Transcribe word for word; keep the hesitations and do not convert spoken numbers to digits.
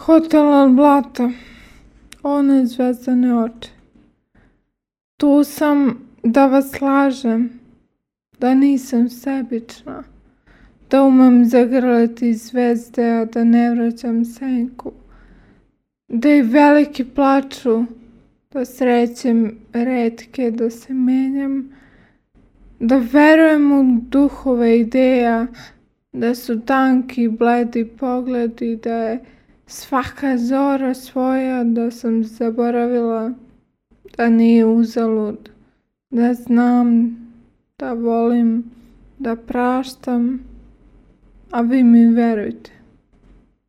Hotel Al Blata, one zvezdane oči. Tu sam da vas lažem, da nisam sebična, da umem zagrliti zvezde, a da ne vraćam senku, da i veliki plaču, da srećem retke, da se menjam, da verujem u duhove ideja, da su tanki bledi pogledi, da je svaka zora svoja, da sam zaboravila da nije uzalud, da znam, da volim, da praštam, a vi mi verujte.